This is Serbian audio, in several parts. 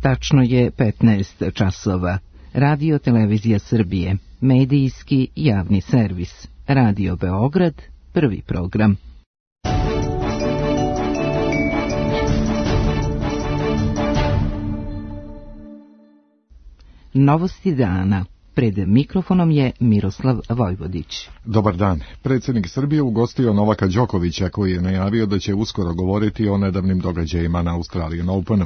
Tačno je 15 časova. Radio Televizija Srbije, medijski javni servis. Radio Beograd, prvi program. Novosti dana. Pred mikrofonom je Miroslav Vojvodić. Dobar dan. Predsjednik Srbije ugostio Novaka Đokovića, koji je najavio da će uskoro govoriti o nedavnim događajima na Australian Openu.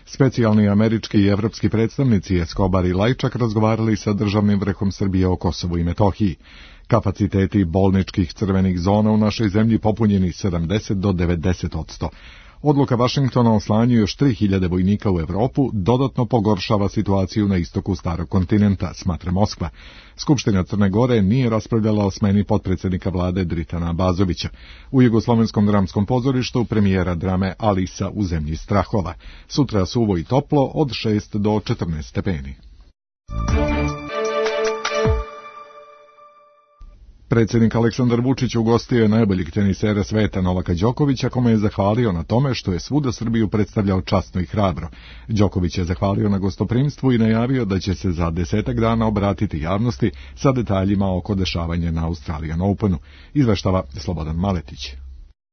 Specijalni američki i evropski predstavnici Escobar i Lajčak razgovarali sa državnim vrhom Srbije o Kosovu i Metohiji. Kapaciteti bolničkih crvenih zona u našoj zemlji popunjeni 70 do 90%. Odluka Vašingtona o slanju još 3000 vojnika u Evropu dodatno pogoršava situaciju na istoku starog kontinenta, smatra Moskva. Skupština Crne Gore nije raspravljala o smeni potpredsjednika vlade Dritana Abazovića. U Jugoslovenskom dramskom pozorištu premijera drame Alisa u zemlji strahova. Sutra suvo i toplo od 6 do 14 stepeni. Predsjednik Aleksandar Vučić ugostio je najboljeg tenisera sveta Novaka Đokovića, kome je zahvalio na tome što je svuda Srbiju predstavljao časno i hrabro. Đoković je zahvalio na gostoprimstvu i najavio da će se za 10 dana obratiti javnosti sa detaljima oko dešavanja na Australian Openu, izveštava Slobodan Maletić.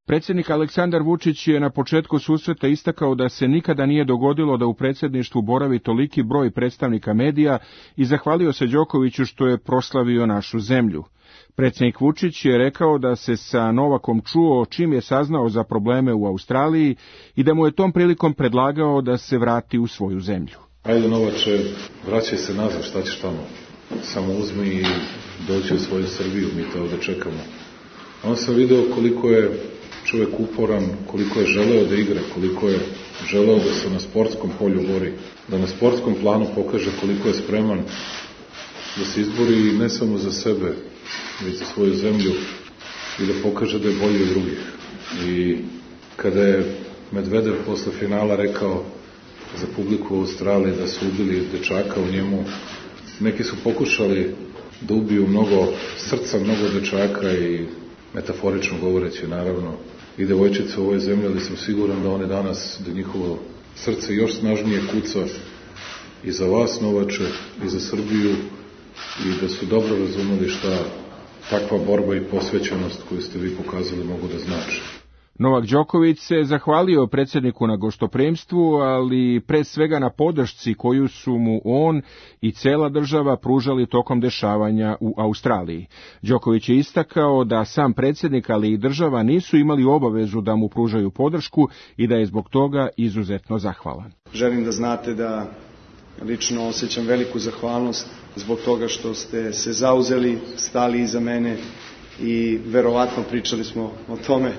Predsjednik Aleksandar Vučić je na početku susreta istakao da se nikada nije dogodilo da u predsjedništvu boravi toliki broj predstavnika medija i zahvalio se Đokoviću što je proslavio našu zemlju. Predsjednik Vučić je rekao da se sa Novakom čuo čim je saznao za probleme u Australiji i da mu je tom prilikom predlagao da se vrati u svoju zemlju. Ajde Novače, vraćaj se nazad, šta ćeš tamo? Samo uzmi i doći u svoju Srbiju, mi te ovdje čekamo. Onda sam video koliko je čovjek uporan, koliko je želeo da igra, koliko je želeo da se na sportskom polju bori, da na sportskom planu pokaže koliko je spreman da se izbori ne samo za sebe, već za svoju zemlju i da pokaže da je bolji od drugih. I kada je Medvedev posle finala rekao za publiku u Australiji da su ubili dečaka u njemu, neki su pokušali da ubiju mnogo srca, mnogo dečaka i metaforično govoreći naravno i devojčice u ovoj zemlji, ali sam siguran da one danas, da njihovo srce još snažnije kuca i za vas Novače i za Srbiju i da su dobro razumeli šta takva borba i posvećenost koju ste vi pokazali mogu da znači. Novak Đoković se zahvalio predsjedniku na gostoprimstvu, ali pre svega na podršci koju su mu on i cela država pružali tokom dešavanja u Australiji. Đoković je istakao da sam predsjednik, ali i država nisu imali obavezu da mu pružaju podršku i da je zbog toga izuzetno zahvalan. Želim da znate da lično osjećam veliku zahvalnost zbog toga što ste se zauzeli, stali iza mene i verovatno pričali smo o tome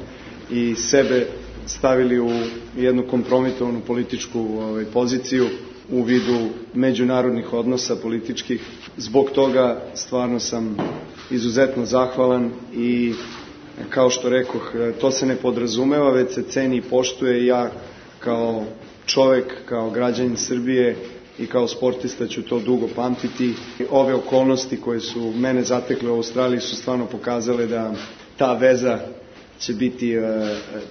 i sebe stavili u jednu kompromitovanu političku poziciju u vidu međunarodnih odnosa političkih. Zbog toga stvarno sam izuzetno zahvalan i kao što rekoh, to se ne podrazumeva, već se ceni i poštuje. Ja kao čovek, kao građanin Srbije i kao sportista ću to dugo pamtiti. Ove okolnosti koje su mene zatekle u Australiji su stvarno pokazale da ta veza će biti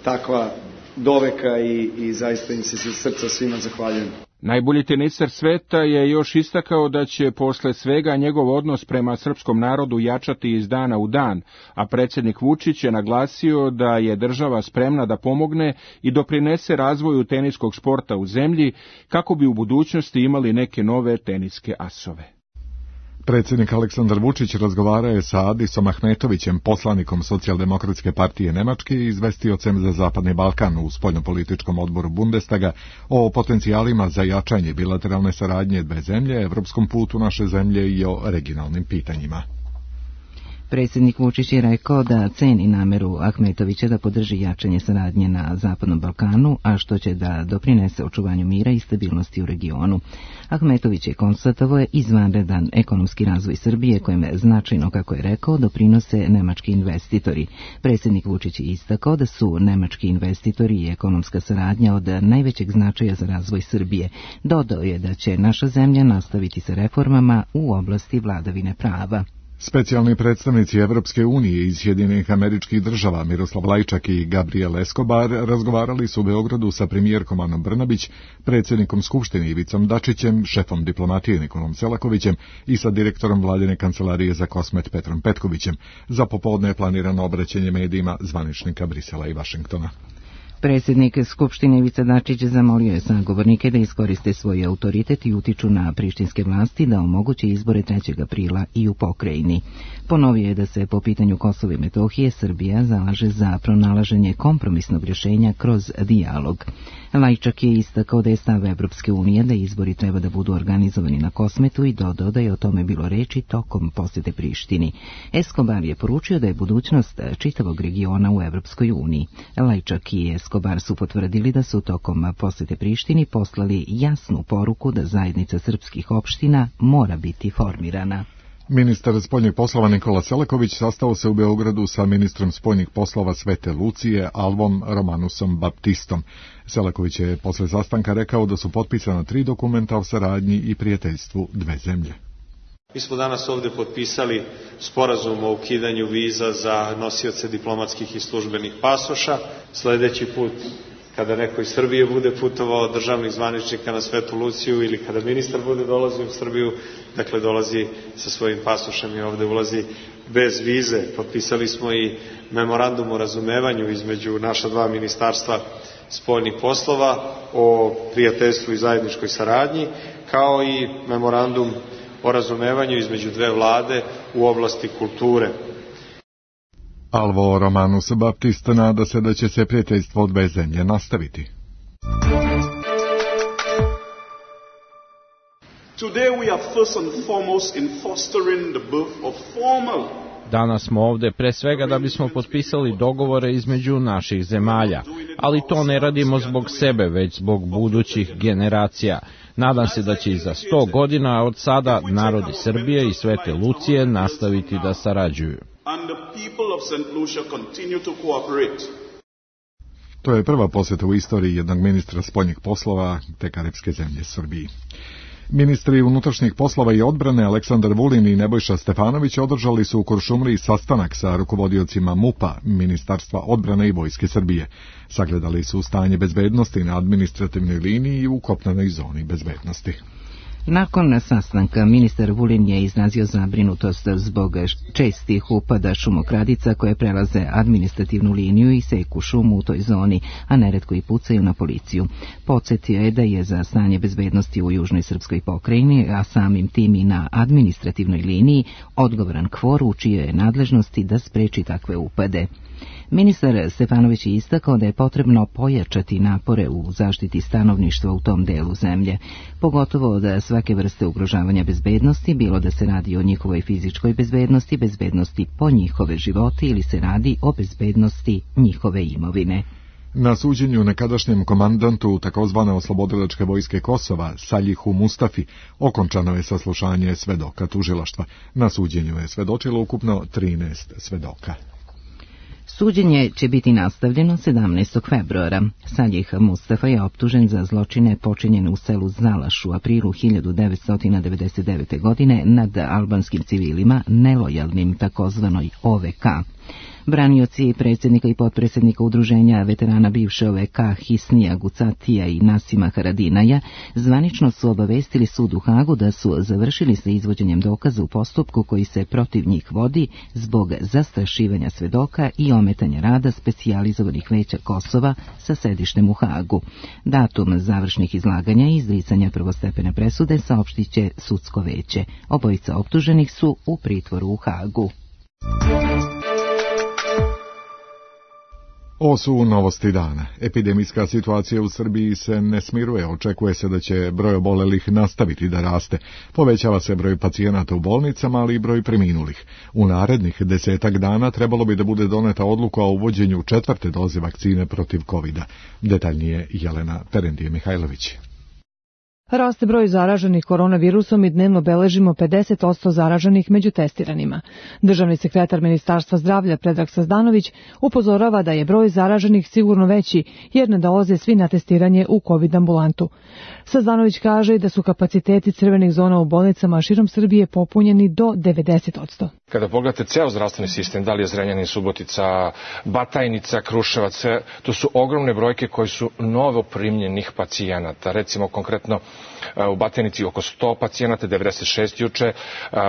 takva doveka i zaista im se iz srca svima zahvaljujem. Najbolji tenisar sveta je još istakao da će posle svega njegov odnos prema srpskom narodu jačati iz dana u dan, a predsjednik Vučić je naglasio da je država spremna da pomogne i doprinese razvoju teniskog sporta u zemlji kako bi u budućnosti imali neke nove teniske asove. Predsjednik Aleksandar Vučić razgovarao je sa Adisom Ahmetovićem, poslanikom Socijaldemokratske partije Nemačke i izvestiocem za Zapadni Balkan u spoljnopolitičkom odboru Bundestaga o potencijalima za jačanje bilateralne saradnje dve zemlje, evropskom putu naše zemlje i o regionalnim pitanjima. Predsjednik Vučić je rekao da ceni nameru Ahmetovića da podrži jačanje saradnje na Zapadnom Balkanu, a što će da doprinese očuvanju mira i stabilnosti u regionu. Ahmetović je konstatovao izvanredan ekonomski razvoj Srbije, kojem značajno, kako je rekao, doprinose nemački investitori. Predsjednik Vučić je istakao da su nemački investitori i ekonomska saradnja od najvećeg značaja za razvoj Srbije. Dodao je da će naša zemlja nastaviti sa reformama u oblasti vladavine prava. Specijalni predstavnici Evropske unije iz Sjedinjenih Američkih Država Miroslav Lajčak i Gabriel Escobar razgovarali su u Beogradu sa premijerkom Anom Brnabić, predsjednikom Skupštine Ivicom Dačićem, šefom diplomatije Nikolom Selakovićem i sa direktorom vladine kancelarije za Kosmet Petrom Petkovićem. Za popodne je planirano obraćanje medijima zvaničnika Brisela i Vašingtona. Predsjednik Skupštine Ivica Dačić zamolio je sagovornike da iskoriste svoj autoritet i utiču na prištinske vlasti da omoguće izbore 3. aprila i u pokrajini. Ponovio je da se po pitanju Kosova i Metohije Srbija zalaže za pronalaženje kompromisnog rješenja kroz dijalog. Lajčak je istakao da je stav Evropske unije da izbori treba da budu organizovani na Kosmetu i dodao da je o tome bilo reči tokom posjete Prištini. Escobar je poručio da je budućnost čitavog regiona u Evropskoj uniji. Lajčak i Escobar su potvrdili da su tokom posjete Prištini poslali jasnu poruku da zajednica srpskih opština mora biti formirana. Ministar spoljnih poslova Nikola Selaković sastao se u Beogradu sa ministrom spoljnih poslova Svete Lucije Alvom Romanusom Baptistom. Selaković je posle sastanka rekao da su potpisana 3 dokumenta o saradnji i prijateljstvu dve zemlje. Mi smo danas ovdje potpisali sporazum o ukidanju viza za nosioce diplomatskih i službenih pasoša. Sljedeći put, kada neko iz Srbije bude putovao od državnih zvaničnika na Svetu Luciju ili kada ministar bude dolazio u Srbiju, dakle dolazi sa svojim pasošem i ovdje ulazi bez vize. Potpisali smo i memorandum o razumevanju između naša 2 ministarstva spoljnih poslova o prijateljstvu i zajedničkoj saradnji, kao i memorandum o razumevanju između 2 vlade u oblasti kulture. Alvo Romanus Baptist nada se da će se prijateljstvo dve zemlje nastaviti. Today we are first and foremost in fostering the birth of formal. Danas smo ovdje pre svega da bismo potpisali dogovore između naših zemalja, ali to ne radimo zbog sebe, već zbog budućih generacija. Nadam se da će i za 100 godina od sada narodi Srbije i Svete Lucije nastaviti da sarađuju. To je prva posjeta u istoriji jednog ministra spoljnih poslova te karipske zemlje Srbiji. Ministri unutrašnjih poslova i odbrane Aleksandar Vulin i Nebojša Stefanović održali su u Kuršumliji sastanak sa rukovodiocima MUP-a, Ministarstva odbrane i Vojske Srbije. Sagledali su stanje bezbednosti na administrativnoj liniji i u kopnenoj zoni bezbednosti. Nakon sastanka ministar Vulin je izrazio zabrinutost zbog čestih upada šumokradica koje prelaze administrativnu liniju i seku šumu u toj zoni, a neretko i pucaju na policiju. Podsjetio je da je za stanje bezbednosti u južnoj srpskoj pokrajini, a samim tim i na administrativnoj liniji, odgovoran KFOR u čijoj je nadležnosti da spreči takve upade. Ministar Stefanović je istakao da je potrebno pojačati napore u zaštiti stanovništva u tom delu zemlje, pogotovo da svake vrste ugrožavanja bezbednosti, bilo da se radi o njihovoj fizičkoj bezbednosti, bezbednosti po njihove živote ili se radi o bezbednosti njihove imovine. Na suđenju nekadašnjem komandantu takozvane oslobodilačke vojske Kosova, Saljihu Mustafi, okončano je saslušanje svedoka tužilaštva. Na suđenju je svedočilo ukupno 13 svedoka. Suđenje će biti nastavljeno 17. februara. Saljih Mustafa je optužen za zločine počinjene u selu Zalaš u aprilu 1999. godine nad albanskim civilima nelojalnim takozvanoj OVK. Branioci predsjednika i potpredsjednika udruženja veterana bivše OVK Hisnija Gucatija i Nasima Haradinaja zvanično su obavestili sud u Hagu da su završili sa izvođenjem dokaza u postupku koji se protiv njih vodi zbog zastrašivanja svedoka i ometanja rada specijalizovanih veća Kosova sa sedištem u Hagu. Datum završnih izlaganja i izricanja prvostepene presude saopštit će sudsko veće. Obojica optuženih su u pritvoru u Hagu. Ovo su novosti dana. Epidemijska situacija u Srbiji se ne smiruje. Očekuje se da će broj obolelih nastaviti da raste. Povećava se broj pacijenata u bolnicama, ali i broj preminulih. U narednih 10 dana trebalo bi da bude doneta odluka o uvođenju 4. doze vakcine protiv COVID-a. Detaljnije Jelena Perendije-Mihajlović. Raste broj zaraženih koronavirusom i dnevno beležimo 50% zaraženih među testiranima. Državni sekretar Ministarstva zdravlja Predrag Sazdanović upozorava da je broj zaraženih sigurno veći jer ne dolaze svi na testiranje u COVID ambulantu. Sazdanović kaže da su kapaciteti crvenih zona u bolnicama širom Srbije popunjeni do 90%. Kada pogledate ceo zdravstveni sistem, da li je Zrenjanin, Subotica, Batajnica, Kruševac, to su ogromne brojke koji su novo primljenih pacijenata. Recimo konkretno u Batajnici oko 100 pacijenata, 96 juče,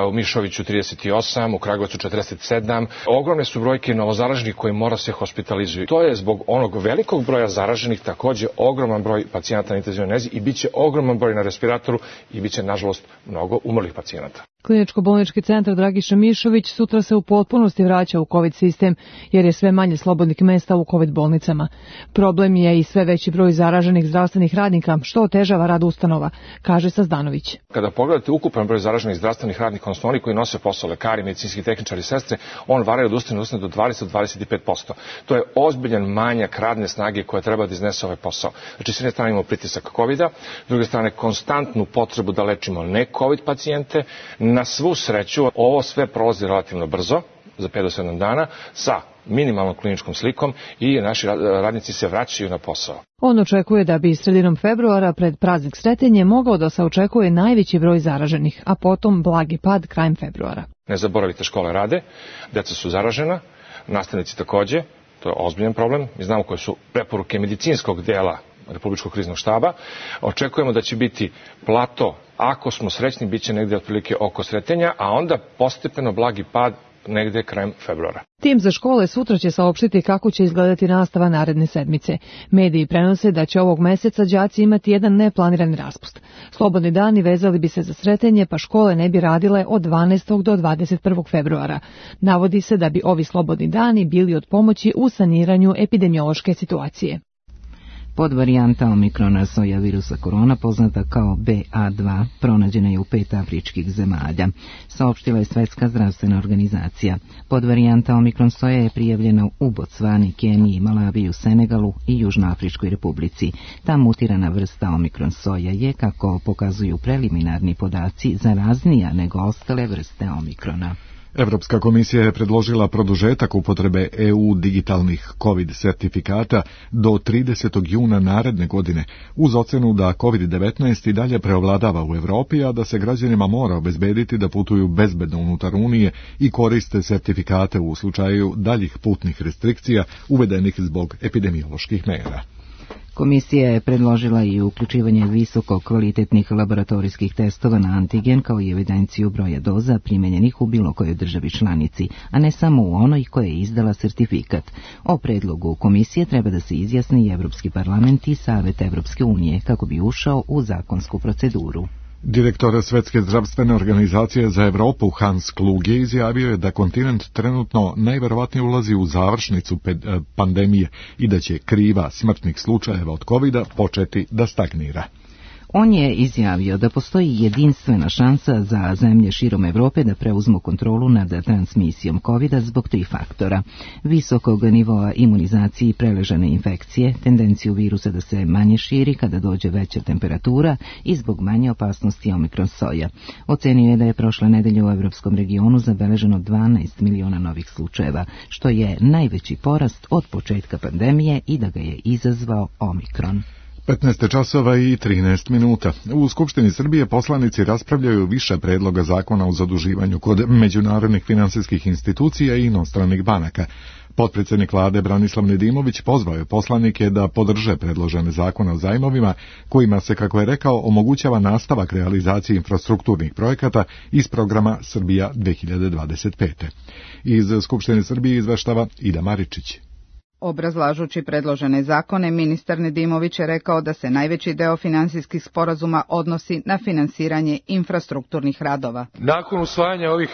u Mišoviću 38, u Kragujevcu 47. Ogromne su brojke novozaraženih koji mora se hospitalizuju. To je zbog onog velikog broja zaraženih takođe ogroman broj pacijenata na intenzivnoj nezi i bit će ogroman broj na respiratoru i bit će, nažalost, mnogo umrlih pacijenata. Kliničko-bolnički centar Dragiša Mišović sutra se u potpunosti vraća u COVID sistem, jer je sve manje slobodnih mesta u COVID bolnicama. Problem je i sve veći broj zaraženih zdravstvenih radnika, što otežava rad ustanova, kaže Sazdanović. Kada pogledate ukupan broj zaraženih zdravstvenih radnika, odnosno oni koji nose posao, lekari, medicinski tehničari, sestre, on varia od ustanove do 20-25%. To je ozbiljan manjak radne snage koja treba da iznese ovaj posao. Znači, s jedne strane imamo pritisak COVID-a, s druge strane konstantnu potrebu da lečimo ne COVID pacijente. Na svu sreću, ovo sve prolazi relativno brzo, za 5 do 7 dana, sa minimalnom kliničkom slikom i naši radnici se vraćaju na posao. On očekuje da bi sredinom februara pred praznik Sretenje mogao da se očekuje najveći broj zaraženih, a potom blagi pad krajem februara. Ne zaboravite, škole rade, deca su zaražena, nastavnici takođe, to je ozbiljan problem. Mi znamo koje su preporuke medicinskog dela Republičkog kriznog štaba. Očekujemo da će biti plato, ako smo srećni, bit će negde otprilike oko Sretenja, a onda postepeno blagi pad negde krajem februara. Tim za škole sutra će saopštiti kako će izgledati nastava naredne sedmice. Mediji prenose da će ovog meseca đaci imati jedan neplanirani raspust. Slobodni dani vezali bi se za Sretenje, pa škole ne bi radile od 12. do 21. februara. Navodi se da bi ovi slobodni dani bili od pomoći u saniranju epidemiološke situacije. Podvarijanta omikrona soja virusa korona, poznata kao BA2, pronađena je u 5 afričkih zemalja, saopštila je Svetska zdravstvena organizacija. Podvarijanta omikron soja je prijavljena u Bocvani, Keniji, Malaviji, Senegalu i Južnoafričkoj republici. Ta mutirana vrsta omikron soja je, kako pokazuju preliminarni podaci, zaraznija nego ostale vrste omikrona. Evropska komisija je predložila produžetak upotrebe EU digitalnih COVID sertifikata do 30. juna naredne godine, uz ocenu da COVID-19 i dalje preovladava u Evropi, a da se građanima mora obezbediti da putuju bezbedno unutar Unije i koriste sertifikate u slučaju daljih putnih restrikcija uvedenih zbog epidemioloških mera. Komisija je predložila i uključivanje visoko kvalitetnih laboratorijskih testova na antigen kao i evidenciju broja doza primenjenih u bilo kojoj državi članici, a ne samo u onoj koja je izdala sertifikat. O predlogu komisije treba da se izjasni i Evropski parlament i Savet Evropske unije kako bi ušao u zakonsku proceduru. Direktor Svetske zdravstvene organizacije za Evropu Hans Kluge izjavio je da kontinent trenutno najverovatnije ulazi u završnicu pandemije i da će kriva smrtnih slučajeva od COVID-a početi da stagnira. On je izjavio da postoji jedinstvena šansa za zemlje širom Evrope da preuzmu kontrolu nad transmisijom COVID-a zbog 3 faktora: visokog nivoa imunizacije i preležane infekcije, tendenciju virusa da se manje širi kada dođe veća temperatura i zbog manje opasnosti omikron soja. Ocenio je da je prošle nedelje u evropskom regionu zabeleženo 12 miliona novih slučajeva, što je najveći porast od početka pandemije i da ga je izazvao omikron. 15 časova i 13 minuta. U Skupštini Srbije poslanici raspravljaju više predloga zakona o zaduživanju kod međunarodnih finansijskih institucija i inostranih banaka. Potpredsjednik vlade Branislav Nedimović pozvao je poslanike da podrže predložene zakone o zajmovima, kojima se, kako je rekao, omogućava nastavak realizacije infrastrukturnih projekata iz programa Srbija 2025. Iz Skupštine Srbije izveštava Ida Maričić. Obrazlažući predložene zakone, ministar Nedimović je rekao da se najveći deo finansijskih sporazuma odnosi na finansiranje infrastrukturnih radova. Nakon usvajanja ovih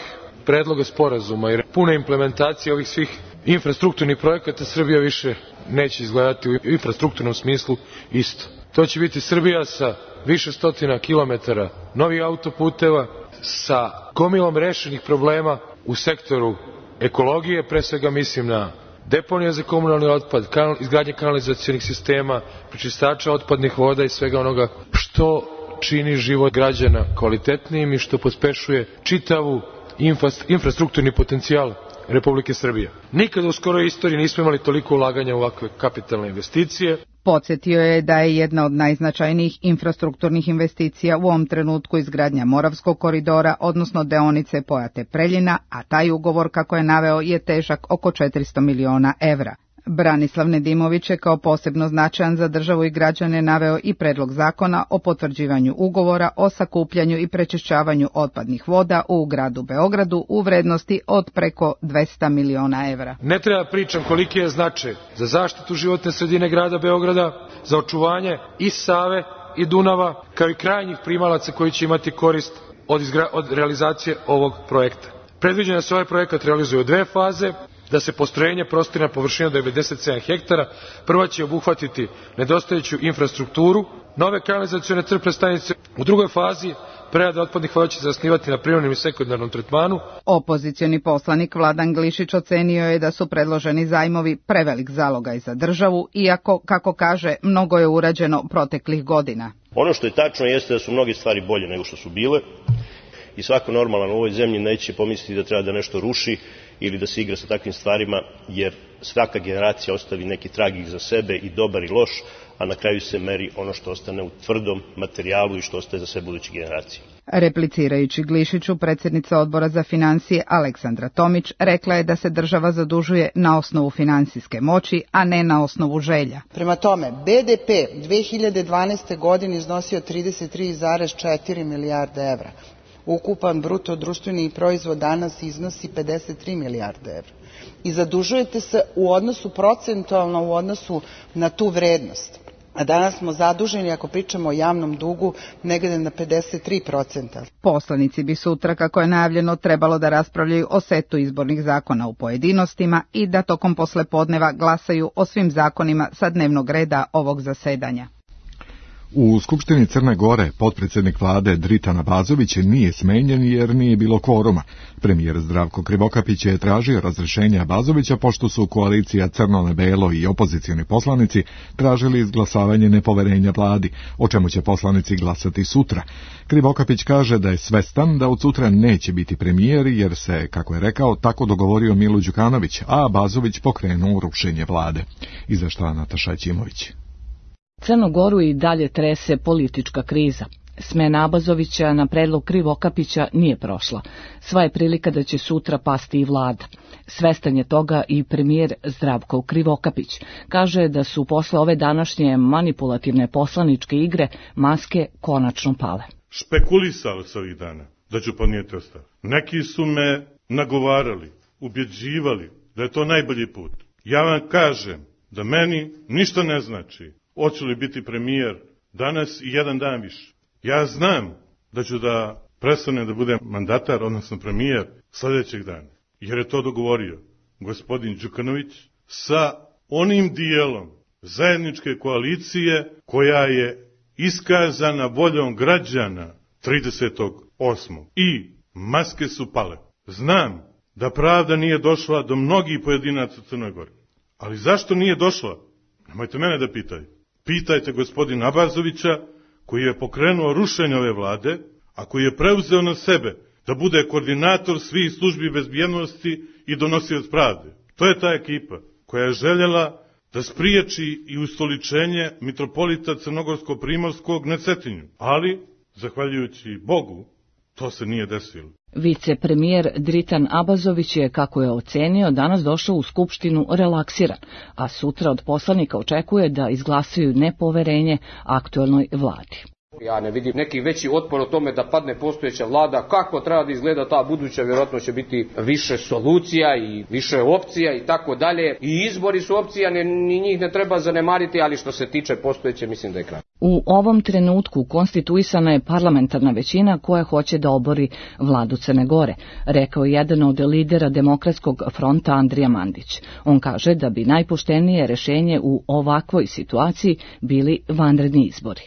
predloga sporazuma i pune implementacije ovih svih infrastrukturnih projekata, Srbija više neće izgledati u infrastrukturnom smislu isto. To će biti Srbija sa više stotina kilometara novih autoputeva, sa gomilom rešenih problema u sektoru ekologije, pre svega mislim na deponija za komunalni otpad, izgradnje kanalizacionih sistema, prečistača otpadnih voda i svega onoga što čini život građana kvalitetnijim i što pospešuje čitavu infrastrukturni potencijal Republike Srbije. Nikada u skoroj istoriji nismo imali toliko ulaganja u ovakve kapitalne investicije. Podsjetio je da je jedna od najznačajnijih infrastrukturnih investicija u ovom trenutku izgradnja Moravskog koridora, odnosno deonice Pojate-Preljina, a taj ugovor, kako je naveo, je težak oko 400 miliona evra. Branislav Nedimović je kao posebno značajan za državu i građane naveo i predlog zakona o potvrđivanju ugovora o sakupljanju i prečišćavanju otpadnih voda u gradu Beogradu u vrednosti od preko 200 miliona evra. Ne treba pričam koliki je značaj za zaštitu životne sredine grada Beograda, za očuvanje i Save i Dunava, kao i krajnjih primalaca koji će imati korist od realizacije ovog projekta. Predviđeno da se ovaj projekat realizuje u 2 faze, da se postrojenje prostire na površinu 97 hektara. Prva će obuhvatiti nedostajuću infrastrukturu, nove kanalizacione crpne stanice. U drugoj fazi prerada otpadnih voda će se zasnivati na primarnom i sekundarnom tretmanu. Opozicioni poslanik Vladan Glišić ocenio je da su predloženi zajmovi prevelik zalogaj za državu, iako, kako kaže, mnogo je urađeno proteklih godina. Ono što je tačno jeste da su mnoge stvari bolje nego što su bile i svako normalan u ovoj zemlji neće pomisliti da treba da nešto ruši ili da se igra sa takvim stvarima, jer svaka generacija ostavi neki trag iza sebe, i dobar i loš, a na kraju se meri ono što ostane u tvrdom materijalu i što ostaje za sve buduće generacije. Replicirajući Glišiću, predsjednica Odbora za financije Aleksandra Tomić rekla je da se država zadužuje na osnovu finansijske moći, a ne na osnovu želja. Prema tome, BDP 2012. godine iznosio 33,4 milijarde evra. Ukupan bruto društveni proizvod danas iznosi 53 milijarde evra. I zadužujete se u odnosu procentualno u odnosu na tu vrednost. A danas smo zaduženi, ako pričamo o javnom dugu, negde na 53%. Poslanici bi sutra, kako je najavljeno, trebalo da raspravljaju o setu izbornih zakona u pojedinostima i da tokom poslepodneva glasaju o svim zakonima sa dnevnog reda ovog zasedanja. U Skupštini Crne Gore potpredsjednik vlade Dritan Abazović nije smenjen jer nije bilo kvoruma. Premijer Zdravko Krivokapić je tražio razrješenje Abazovića pošto su koalicija Crno-Belo i opozicioni poslanici tražili izglasavanje nepoverenja vladi, o čemu će poslanici glasati sutra. Krivokapić kaže da je svestan da od sutra neće biti premijer jer se, kako je rekao, tako dogovorio Milo Đukanović, a Abazović pokrenuo rušenje vlade. Izvešta Nataša Ćimović. Crnu Goru i dalje trese politička kriza. Smena Abazovića na predlog Krivokapića nije prošla. Sva je prilika da će sutra pasti i vlada. Svestan je toga i premijer Zdravko Krivokapić. Kaže da su posle ove današnje manipulativne poslaničke igre maske konačno pale. Špekulisao se ovih dana da ću podnijeti ostavku. Neki su me nagovarali, ubjeđivali da je to najbolji put. Ja vam kažem da meni ništa ne znači hoću li biti premijer danas i jedan dan više. Ja znam da ću da prestanem da budem mandatar, odnosno premijer, sljedećeg dana. Jer je to dogovorio gospodin Đukanović sa onim dijelom zajedničke koalicije koja je iskazana voljom građana 30.8. I maske su pale. Znam da pravda nije došla do mnogih pojedinaca u Crnoj Gori. Ali zašto nije došla? Nemojte mene da pitaju. Pitajte gospodina Abazovića, koji je pokrenuo rušenje ove vlade, a koji je preuzeo na sebe da bude koordinator svih službi bezbjednosti i donosioc pravde. To je ta ekipa koja je željela da spriječi i ustoličenje mitropolita Crnogorsko-Primorskog na Cetinju. Ali, zahvaljujući Bogu, to se nije desilo. Vicepremijer Dritan Abazović je, kako je ocenio, danas došao u Skupštinu relaksiran, a sutra od poslanika očekuje da izglasaju nepoverenje aktuelnoj vladi. Ja ne vidim neki veći otpor o tome da padne postojeća vlada. Kako treba da izgleda ta buduća, vjerojatno će biti više solucija i više opcija i tako dalje. I izbori su opcija, ni njih ne treba zanemariti, ali što se tiče postojeće, mislim da je kraj. U ovom trenutku konstituisana je parlamentarna većina koja hoće da obori vladu Crne Gore, rekao je jedan od lidera Demokratskog fronta Andrija Mandić. On kaže da bi najpoštenije rješenje u ovakvoj situaciji bili vanredni izbori.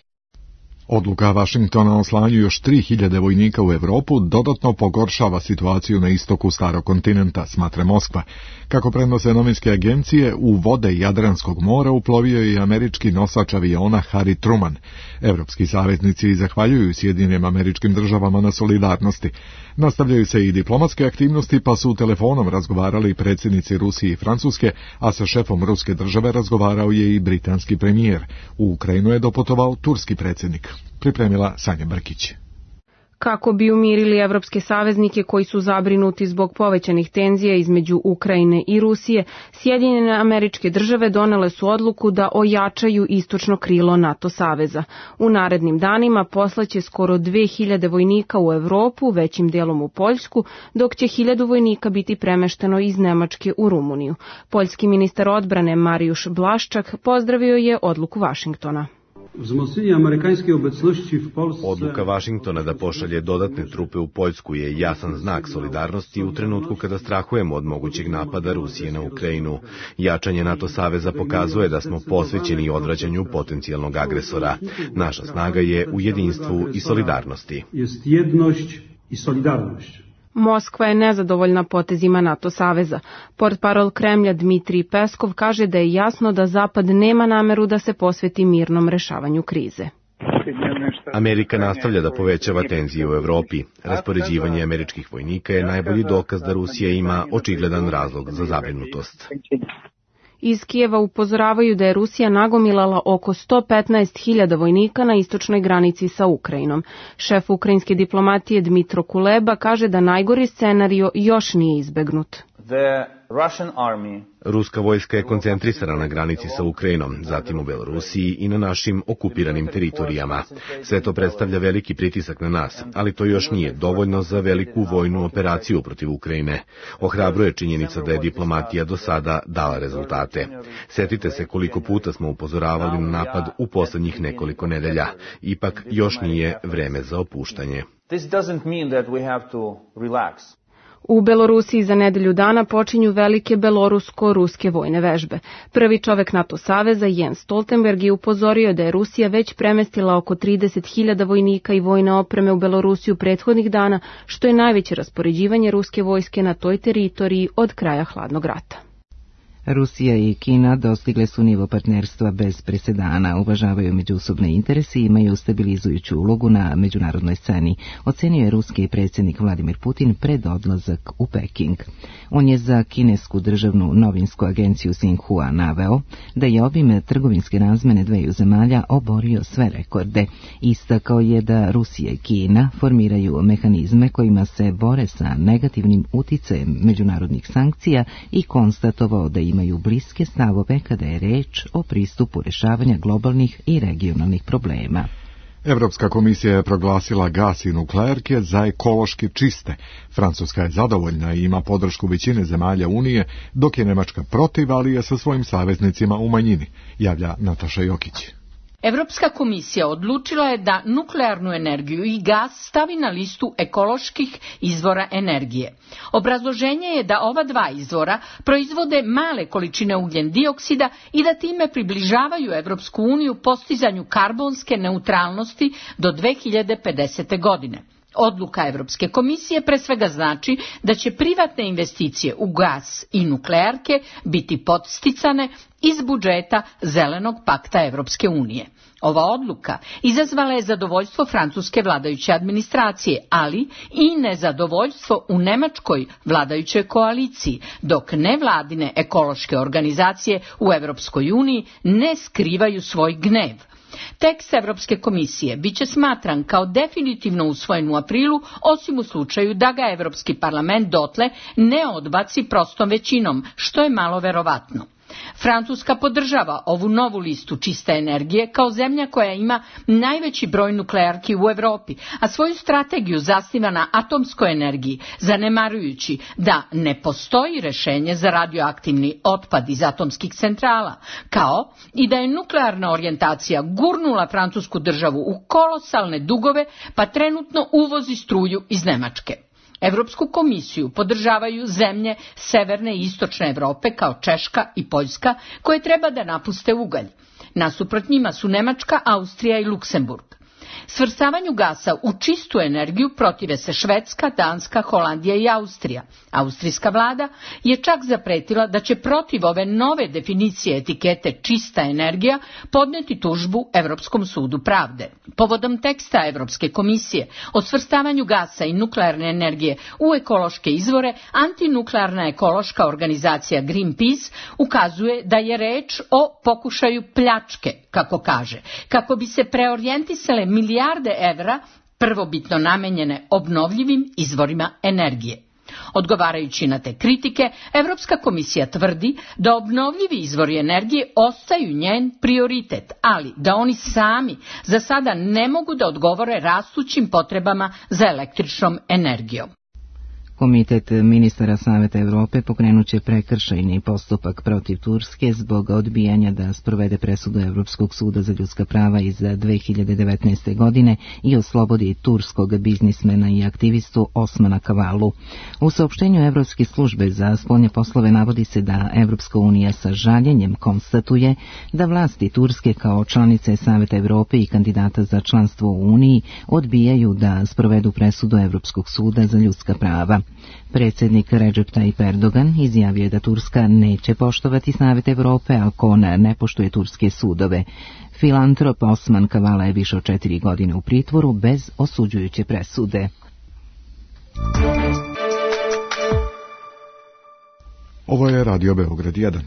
Odluka Vašingtona o slanju još 3000 vojnika u Evropu dodatno pogoršava situaciju na istoku starog kontinenta, smatra Moskva. Kako prenose novinske agencije, u vode Jadranskog mora uplovio je i američki nosač aviona Harry Truman. Evropski saveznici zahvaljuju Sjedinjenim Američkim Državama na solidarnosti. Nastavljaju se i diplomatske aktivnosti, pa su telefonom razgovarali predsjednici Rusije i Francuske, a sa šefom ruske države razgovarao je i britanski premijer. U Ukrajinu je doputovao turski predsjednik. Pripremila Sanja Brkić. Kako bi umirili evropske saveznike koji su zabrinuti zbog povećanih tenzija između Ukrajine i Rusije, Sjedinjene Američke Države donele su odluku da ojačaju istočno krilo NATO saveza. U narednim danima poslaće skoro 2000 vojnika u Evropu, većim delom u Poljsku, dok će 1000 vojnika biti premešteno iz Nemačke u Rumuniju. Poljski ministar odbrane Mariusz Blaszczak pozdravio je odluku Vašingtona. Odluka Vašingtona da pošalje dodatne trupe u Poljsku je jasan znak solidarnosti u trenutku kada strahujemo od mogućeg napada Rusije na Ukrajinu. Jačanje NATO saveza pokazuje da smo posvećeni odvraćanju potencijalnog agresora. Naša snaga je u jedinstvu i solidarnosti. Moskva je nezadovoljna potezima NATO saveza. Portparol Kremlja Dmitrij Peskov kaže da je jasno da Zapad nema nameru da se posveti mirnom rešavanju krize. Amerika nastavlja da povećava tenzije u Evropi. Raspoređivanje američkih vojnika je najbolji dokaz da Rusija ima očigledan razlog za zabrinutost. Iz Kijeva upozoravaju da je Rusija nagomilala oko 115.000 vojnika na istočnoj granici sa Ukrajinom. Šef ukrajinske diplomatije Dmitro Kuleba kaže da najgori scenario još nije izbegnut. Ruska vojska je koncentrisana na granici sa Ukrajinom, zatim u Belorusiji i na našim okupiranim teritorijama. Sve to predstavlja veliki pritisak na nas, ali to još nije dovoljno za veliku vojnu operaciju protiv Ukrajine. Ohrabruje činjenica da je diplomatija do sada dala rezultate. Setite se koliko puta smo upozoravali na napad u poslednjih nekoliko nedelja. Ipak još nije vreme za opuštanje. U Belorusiji za nedelju dana počinju velike belorusko-ruske vojne vežbe. Prvi čovek NATO saveza, Jens Stoltenberg, je upozorio da je Rusija već premestila oko 30.000 vojnika i vojne opreme u Belorusiju prethodnih dana, što je najveće raspoređivanje ruske vojske na toj teritoriji od kraja hladnog rata. Rusija i Kina dostigle su nivo partnerstva bez presedana, uvažavaju međusobne interese i imaju stabilizujuću ulogu na međunarodnoj sceni, ocenio je ruski predsjednik Vladimir Putin pred odlazak u Peking. On je za kinesku državnu novinsku agenciju Xinhua naveo da je obim trgovinske razmene dveju zemalja oborio sve rekorde. Istakao je da Rusija i Kina formiraju mehanizme kojima se bore sa negativnim uticajem međunarodnih sankcija i konstatovao da imaju bliske stavove kada je reč o pristupu rješavanja globalnih i regionalnih problema. Evropska komisija je proglasila gas i nuklearke za ekološki čiste. Francuska je zadovoljna i ima podršku većine zemalja Unije, dok je Nemačka protiv, ali je sa svojim saveznicima u manjini, javlja Nataša Jokić. Evropska komisija odlučila je da nuklearnu energiju i gas stavi na listu ekoloških izvora energije. Obrazloženje je da ova dva izvora proizvode male količine ugljen dioksida i da time približavaju Evropsku uniju postizanju karbonske neutralnosti do 2050. godine. Odluka Evropske komisije pre svega znači da će privatne investicije u gas i nuklearke biti podsticane iz budžeta Zelenog pakta Evropske unije. Ova odluka izazvala je zadovoljstvo francuske vladajuće administracije, ali i nezadovoljstvo u nemačkoj vladajućoj koaliciji, dok nevladine ekološke organizacije u Evropskoj uniji ne skrivaju svoj gnev. Tekst Evropske komisije biće smatran kao definitivno usvojen u aprilu, osim u slučaju da ga Evropski parlament dotle ne odbaci prostom većinom, što je malo verovatno. Francuska podržava ovu novu listu čiste energije kao zemlja koja ima najveći broj nuklearki u Evropi, a svoju strategiju zasniva na atomskoj energiji, zanemarujući da ne postoji rešenje za radioaktivni otpad iz atomskih centrala, kao i da je nuklearna orijentacija gurnula francusku državu u kolosalne dugove, pa trenutno uvozi struju iz Nemačke. Evropsku komisiju podržavaju zemlje severne i istočne Evrope kao Češka i Poljska, koje treba da napuste ugalj. Nasuprot njima su Nemačka, Austrija i Luksemburg. Svrstavanju gasa u čistu energiju protive se Švedska, Danska, Holandija i Austrija. Austrijska vlada je čak zapretila da će protiv ove nove definicije etikete čista energija podneti tužbu Evropskom sudu pravde. Povodom teksta Evropske komisije o svrstavanju gasa i nuklearne energije u ekološke izvore, antinuklearna ekološka organizacija Greenpeace ukazuje da je reč o pokušaju pljačke, kako kaže, kako bi se preorijentisale milijarde evra prvobitno namenjene obnovljivim izvorima energije. Odgovarajući na te kritike, Evropska komisija tvrdi da obnovljivi izvori energije ostaju njen prioritet, ali da oni sami za sada ne mogu da odgovore rastućim potrebama za električnom energijom. Komitet ministara Saveta Evrope pokrenut će prekršajni postupak protiv Turske zbog odbijanja da sprovede presudu Evropskog suda za ljudska prava iz 2019. godine i oslobodi turskog biznismena i aktivistu Osmana Kavalu. U saopštenju Evropske službe za spoljne poslove navodi se da Evropska unija sa žaljenjem konstatuje da vlasti Turske kao članice Saveta Evrope i kandidata za članstvo u Uniji odbijaju da sprovedu presudu Evropskog suda za ljudska prava. Predsjednik Recep Tayyip Erdogan izjavio je da Turska neće poštovati Savet Evrope ako ona ne poštuje turske sudove. Filantrop Osman Kavala je više od 4 godine u pritvoru bez osuđujuće presude. Ovo je Radio Beograd 1.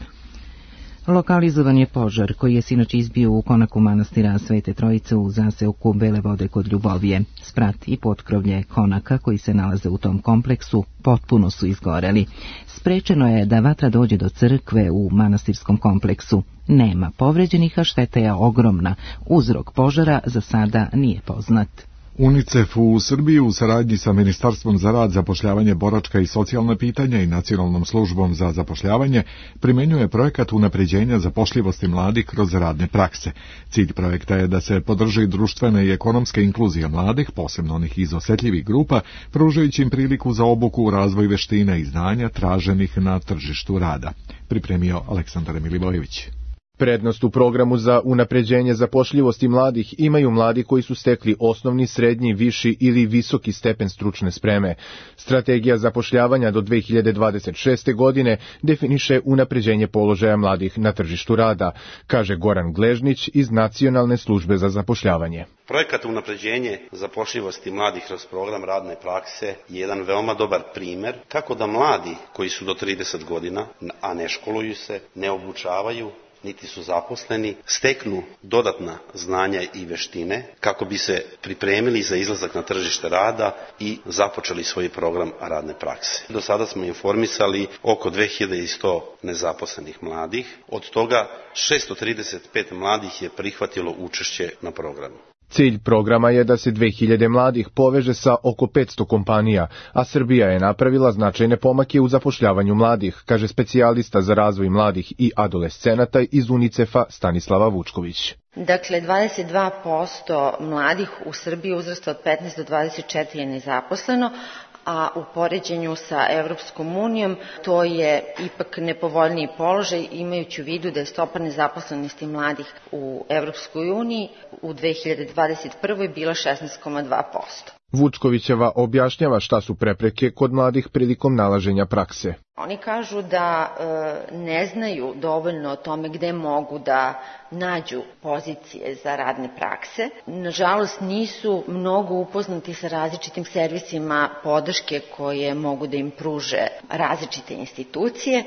Lokalizovan je požar koji je sinoć izbio u konaku manastira Svete Trojice u zaseoku Bele Vode kod Ljubovije. Sprat i potkrovlje konaka koji se nalaze u tom kompleksu potpuno su izgoreli. Sprečeno je da vatra dođe do crkve u manastirskom kompleksu. Nema povređenih, a šteta je ogromna. Uzrok požara za sada nije poznat. UNICEF u Srbiji u saradnji sa Ministarstvom za rad, zapošljavanje, boračka i socijalna pitanja i Nacionalnom službom za zapošljavanje primenjuje projekat unapređenja zapošljivosti mladih kroz radne prakse. Cilj projekta je da se podrži društvena i ekonomska inkluzija mladih, posebno onih iz osetljivih grupa, pružajući im priliku za obuku, razvoj veština i znanja traženih na tržištu rada. Pripremio Aleksandar Milivojević. Prednost u programu za unapređenje zapošljivosti mladih imaju mladi koji su stekli osnovni, srednji, viši ili visoki stepen stručne spreme. Strategija zapošljavanja do 2026. godine definiše unapređenje položaja mladih na tržištu rada, kaže Goran Gležnić iz Nacionalne službe za zapošljavanje. Projekat unapređenje zapošljivosti mladih kroz program radne prakse je jedan veoma dobar primer kako da mladi koji su do 30 godina, a ne školuju se, ne obučavaju, niti su zaposleni, steknu dodatna znanja i veštine kako bi se pripremili za izlazak na tržište rada i započeli svoj program radne prakse. Do sada smo informisali oko 2100 nezaposlenih mladih, od toga 635 mladih je prihvatilo učešće na programu. Cilj programa je da se 2000 mladih poveže sa oko 500 kompanija, a Srbija je napravila značajne pomake u zapošljavanju mladih, kaže specijalista za razvoj mladih i adolescenata iz UNICEF-a Stanislava Vučković. Dakle, 22% mladih u Srbiji uzrasta od 15 do 24 je nezaposleno, a u poređenju sa Evropskom unijom to je ipak nepovoljniji položaj, imajući u vidu da je stopa nezaposlenosti mladih u Evropskoj uniji u 2021. bila 16,2%. Vučkovićeva objašnjava šta su prepreke kod mladih prilikom nalaženja prakse. Oni kažu da ne znaju dovoljno o tome gde mogu da nađu pozicije za radne prakse. Nažalost, nisu mnogo upoznati sa različitim servisima podrške koje mogu da im pruže različite institucije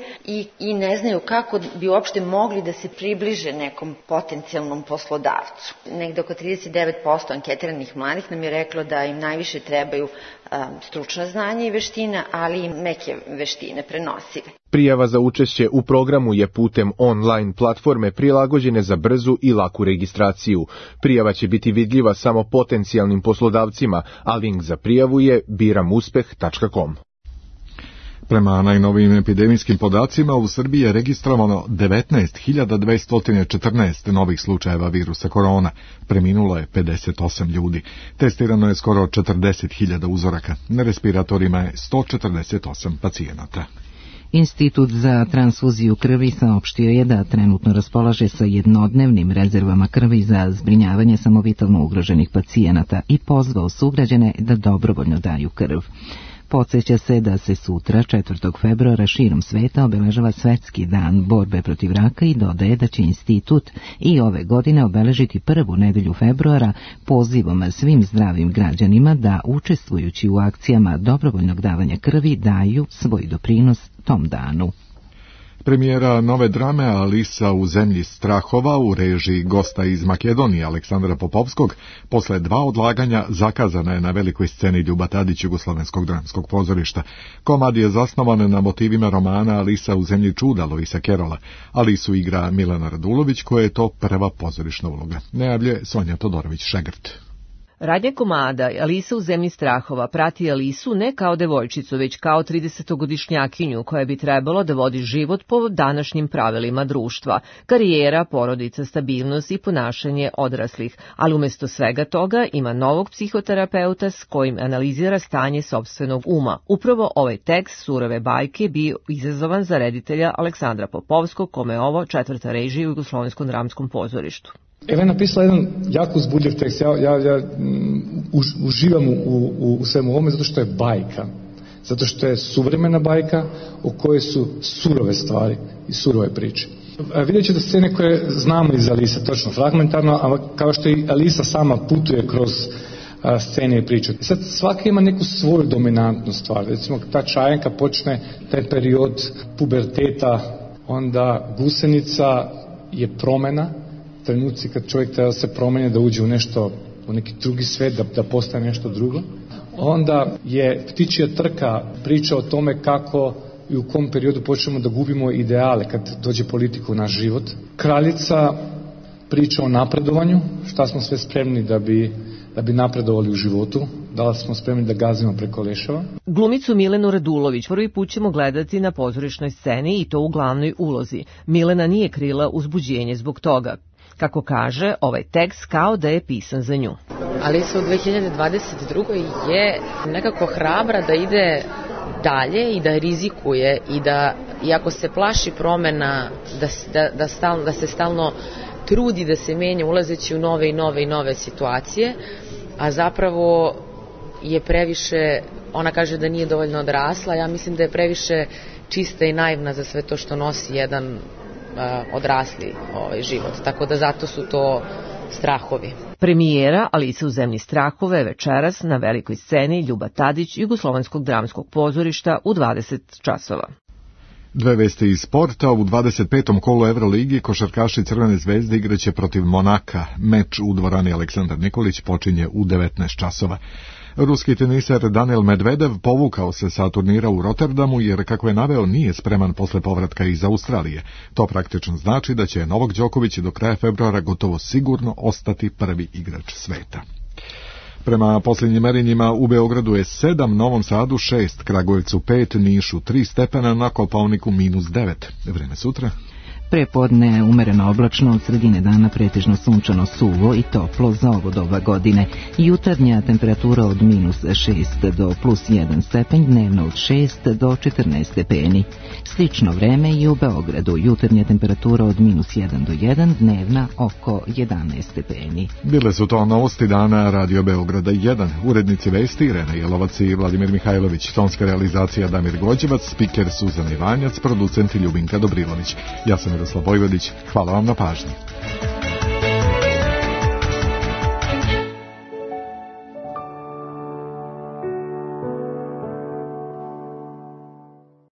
i ne znaju kako bi uopšte mogli da se približe nekom potencijalnom poslodavcu. Negde oko 39% anketiranih mladih nam je reklo da im najviše trebaju stručna znanja i veštine, ali i meke veštine prenosive. Prijava za učešće u programu je putem online platforme prilagođene za brzu i laku registraciju. Prijava će biti vidljiva samo potencijalnim poslodavcima, a link za prijavu je biramuspeh.com. Prema najnovijim epidemijskim podacima, u Srbiji je registrovano 19.214 novih slučajeva virusa korona. Preminulo je 58 ljudi. Testirano je skoro 40.000 uzoraka. Na respiratorima je 148 pacijenata. Institut za transfuziju krvi saopštio je da trenutno raspolaže sa jednodnevnim rezervama krvi za zbrinjavanje samovitalno ugroženih pacijenata i pozvao sugrađane da dobrovoljno daju krv. Podsjeća se da se sutra, 4. februara, širom sveta obeležava Svetski dan borbe protiv raka i dodaje da će institut i ove godine obeležiti prvu nedelju februara pozivom svim zdravim građanima da, učestvujući u akcijama dobrovoljnog davanja krvi, daju svoj doprinos tom danu. Premijera nove drame Alisa u zemlji strahova u režiji gosta iz Makedonije Aleksandra Popovskog posle 2 odlaganja zakazana je na velikoj sceni Ljuba Tadić Jugoslovenskog dramskog pozorišta. Komad je zasnovan na motivima romana Alisa u zemlji čuda Luisa Kerola. Alisu igra Milena Radulović, koja je to prva pozorišna uloga. Najavlje Sonja Todorović-Šegrt. Radnja komada Alisa u zemlji strahova prati Alisu ne kao devojčicu, već kao 30-godišnjakinju koja bi trebalo da vodi život po današnjim pravilima društva, karijera, porodica, stabilnost i ponašanje odraslih, ali umesto svega toga ima novog psihoterapeuta s kojim analizira stanje sopstvenog uma. Upravo ovaj tekst surove bajke bio izazovan za reditelja Aleksandra Popovskog, kome je ovo 4. režija u Jugoslovenskom dramskom pozorištu. Eva je napisala jedan jako uzbudljiv tekst. Ja uživam u svemu ovome zato što je bajka. Zato što je suvremena bajka u kojoj su surove stvari i surove priče. Vidjet ćete scene koje znamo iz Alisa, točno fragmentarno, a kao što i Alisa sama putuje kroz scene i priče. Sad svaka ima neku svoju dominantnu stvar. Recimo ta čajanka počne taj period puberteta, onda gusenica je promena, trenuci kad čovjek treba se promeni, da uđe u nešto, u neki drugi svet, da postane nešto drugo. Onda je Ptičija trka priča o tome kako i u kom periodu počnemo da gubimo ideale kad dođe politika u naš život. Kraljica priča o napredovanju, šta smo sve spremni da bi napredovali u životu, da li smo spremni da gazimo preko leševa. Glumicu Milenu Radulović prvi put ćemo gledati na pozorišnoj sceni i to u glavnoj ulozi. Milena nije krila uzbuđenje zbog toga. Kako kaže, ovaj tekst kao da je pisan za nju. Alisa u 2022. je nekako hrabra da ide dalje i da rizikuje i da, iako se plaši promena, da se stalno trudi da se menja ulazeći u nove situacije, a zapravo je previše, ona kaže da nije dovoljno odrasla, ja mislim da je previše čista i naivna za sve to što nosi jedan odrasli život, tako da zato su to strahovi. Premijera Alisa u zemlji strahove večeras na velikoj sceni Ljuba Tadić Jugoslovenskog dramskog pozorišta u 20 časova. Dve vesti iz sporta. U 25. kolu Euroligi košarkaši Crvene zvezde igraće protiv Monaka. Meč u dvorani Aleksandar Nikolić počinje u 19 časova. Ruski teniser Daniil Medvedev povukao se sa turnira u Rotterdamu jer, kako je naveo, nije spreman posle povratka iz Australije. To praktično znači da će Novak Đoković do kraja februara gotovo sigurno ostati prvi igrač sveta. Prema posljednjim merenjima u Beogradu je 7, Novom Sadu 6, Kragujevcu 5, Nišu 3 stepena, na Kopaoniku -9. Vreme sutra. Prepodne umereno oblačno, od sredine dana pretežno sunčano, suvo i toplo za ovo doba godine. Jutarnja temperatura od -6 do +1 stepenj, dnevno od 6 do 14 stepeni. Slično vreme i u Beogradu. Jutarnja temperatura od -1 do 1, dnevna oko 11 stepeni. Bile su to novosti dana Radio Beograda 1. Urednici vesti Irena Jelovac i Vladimir Mihajlović. Tonska realizacija Damir Gođevac, spiker Suzana Ivanjac, producent Ljubinka Dobrilović. Ja sam Miroslav Vojvodić. Hvala vam na pažnji.